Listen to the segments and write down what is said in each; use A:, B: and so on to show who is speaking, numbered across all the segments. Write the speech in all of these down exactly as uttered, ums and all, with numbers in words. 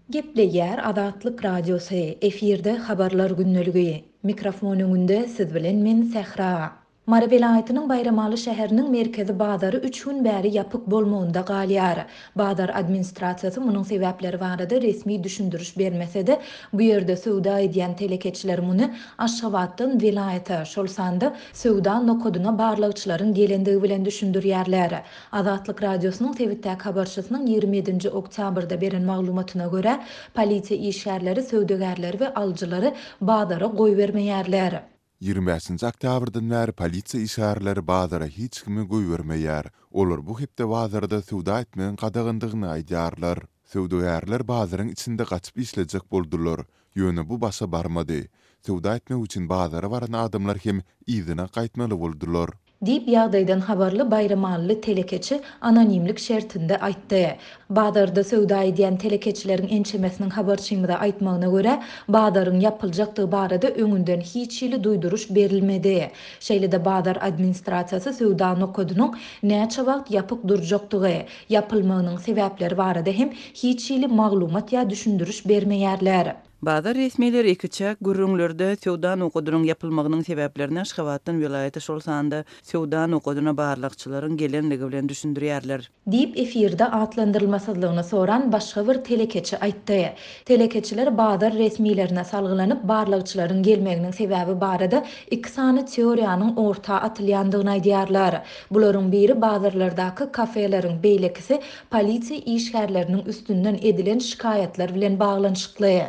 A: Gepleýär Azatlyk Radiosy, efirde Habarlar gündeligi. Mikrofon öňünde siz bilen men Sähra. Mary welaýatynyň Baýramaly şäheriniň merkezi bazary üç gün bäri ýapyk bolmagynda galýar. Bazar administrasiýasy munuň sebäpleri barada resmi düşündiriş bermese-de, bu ýerde söwda edýän telekeçiler muny Aşgabatdan welaýata, şol sanda söwda nokadyna barlagçylaryň gelendigi bilen düşündirýärler. Azatlyk Radiosynyň sebitdäki habarçysynyň ýigrimi ýedinji oktýabrda beren maglumatyna görä, polisiýa işgärleri söwdagärleri we alyjylary bazara goýbermeýärler.
B: Ýigrimi bäşinji oktýabrdan bäri polisiýa işgärleri bazara hiç kimi goýbermeýär. Olar bu hepde bazarda söwda etmegiň gadagandygyny aýdýarlar. Söwdagärler bazaryň içinde gaçyp işlejek boldular. Ýöne bu başa barmady. Söwda etmek üçin bazara baran adamlar hem yzyna gaýtmaly boldular.
A: Diýip, ýagdaýdan habarly baýramalyly telekeçi anonimlik şertinde aýtdy. Bazarda söwda edýän telekeçileriň ençemesiniň habarçymyza aýtmagyna görä, bazaryň ýapyljakdygy barada öňünden hiç hili duýduryş berilmedi. Şeýle-de bazar administrasiýasy söwda nokadynyň näçe wagt ýapyk durjakdygy, ýapylmagynyň sebäpleri barada hem hiç hili maglumat ýa düşündiriş bermeýärler.
C: Bazar resmileri ikiçäk gürrüňlerde söwda nokadynyň ýapylmagynyň sebäplerini Aşgabatdan welaýata, şol sanda söwda nokadyna barlagçylaryň gelenligi bilen düşündirýärler.
A: Diýip, efirde atlandyrylmasyzlygyny soran başga bir telekeçi aýtdy. Telekeçiler bazar resmilerine salgylanyp, barlagçylaryň gelmeginiň sebäbi barada iki sany teoriýanyň orta atylýandygyny aýdýarlar. Bularyň biri bazarlardaky kafeleriň, beýlekisi polisiýa işgärleriniň üstünden edilen şikaýatlar bilen baglanyşykly.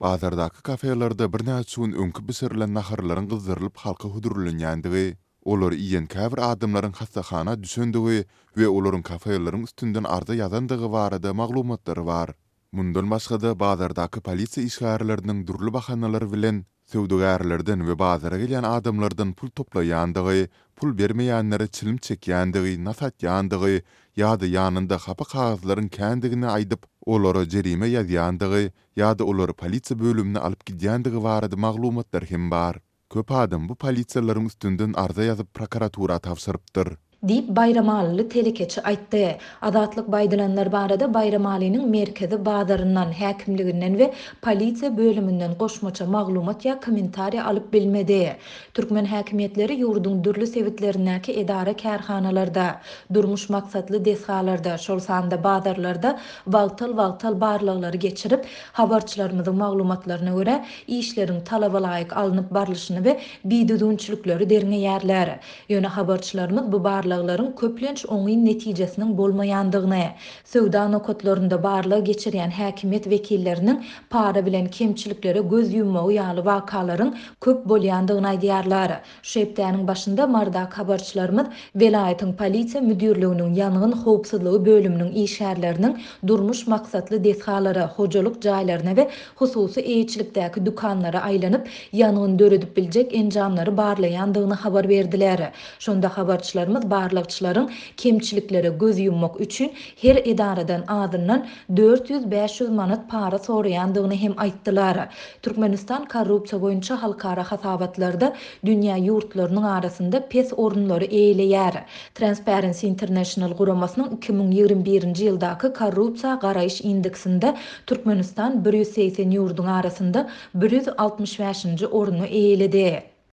B: Bazardaky kafelerde birnäçe gün öňki bişirilen naharlaryň gyzdyrylyp halka hödürlenýändigi, olary iýen käbir adamlaryň hassahana düşendigi we olaryň kafeleriň üstünden arza ýazandygy barada maglumatlar bar. Mundan başga-da, bazardaky polisiýa işgärleriniň dürli bahanalar bilen söwdagärlerden we bazara gelýän adamlardan pul toplaýandygy, pul bermeýänlere çilim çekýändigi, nas atýandygy ýa-da ýanynda hapa kagyzlaryň kändigini aýdyp, olara jerime ýazýandygy ýa-da olary polisiýa bölümine alyp gidýändigi barada maglumatlar hem bar. Köp adam bu polisiýalaryň üstünden arza ýazyp prokuratura tabşyrypdyr.
A: Diýip, baýramalyly telekeçi aýtdy. Azatlyk bu aýdylanlar barada Baýramalynyň merkezi bazaryndan, häkimliginden we polisiýa bölüminden goşmaça maglumat ýa kommentariý alyp bilmedi. Türkmen häkimiýetleri ýurduň dürli sebitlerindäki edara-kärhanalarda, durmuş maksatly desgalarda, şol sanda bazarlarda wagtal-wagtal barlaglary geçirip, habarçylarymyzyň maglumatlaryna görä, işleriň talaba laýyk alnyp barlyşyny we bidüzgünçilikleri derňeýärler. Ýöne habarçylarymyz bu barlaglaryň köplenç oňyn netijesiniň bolmaýandygyny, söwda nokatlarynda barlag geçirýän häkimiýet wekilleriniň para bilen kemçiliklere göz ýummagy ýaly wakalaryň köp bolýandygyny aýdýarlar. Şu hepdäniň başynda Marydaky habarçylarymyz welaýatyň polisiýa müdirliginiň ýangyn howpsuzlygy bölüminiň işgärleriniň durmuş maksatly desgalara, hojalyk jaýlaryna we hususy eýeçilikdäki dükanlara aýlanyp, ýangyn döredip biljek enjamlary barlaýandygyny habar berdiler. Şonda habarçylarymyz barlagçylaryň kemçiliklere göz ýummak üçin her edaradan azyndan dört ýüz-bäş ýüz manat para soraýandygyny hem aýtdylar. Türkmenistan korrupsiýa boýunça halkara hasabatlarda dünýä ýurtlarynyň arasynda pes orunlary eýeleýär. Transparency International guramasynyň iki müň ýigrimi birinji ýyldaky korrupsiýa garaýyş indeksinde Türkmenistan bir ýüz segsen ýurduň arasynda bir ýüz altmyş bäşinji orny eýeledi.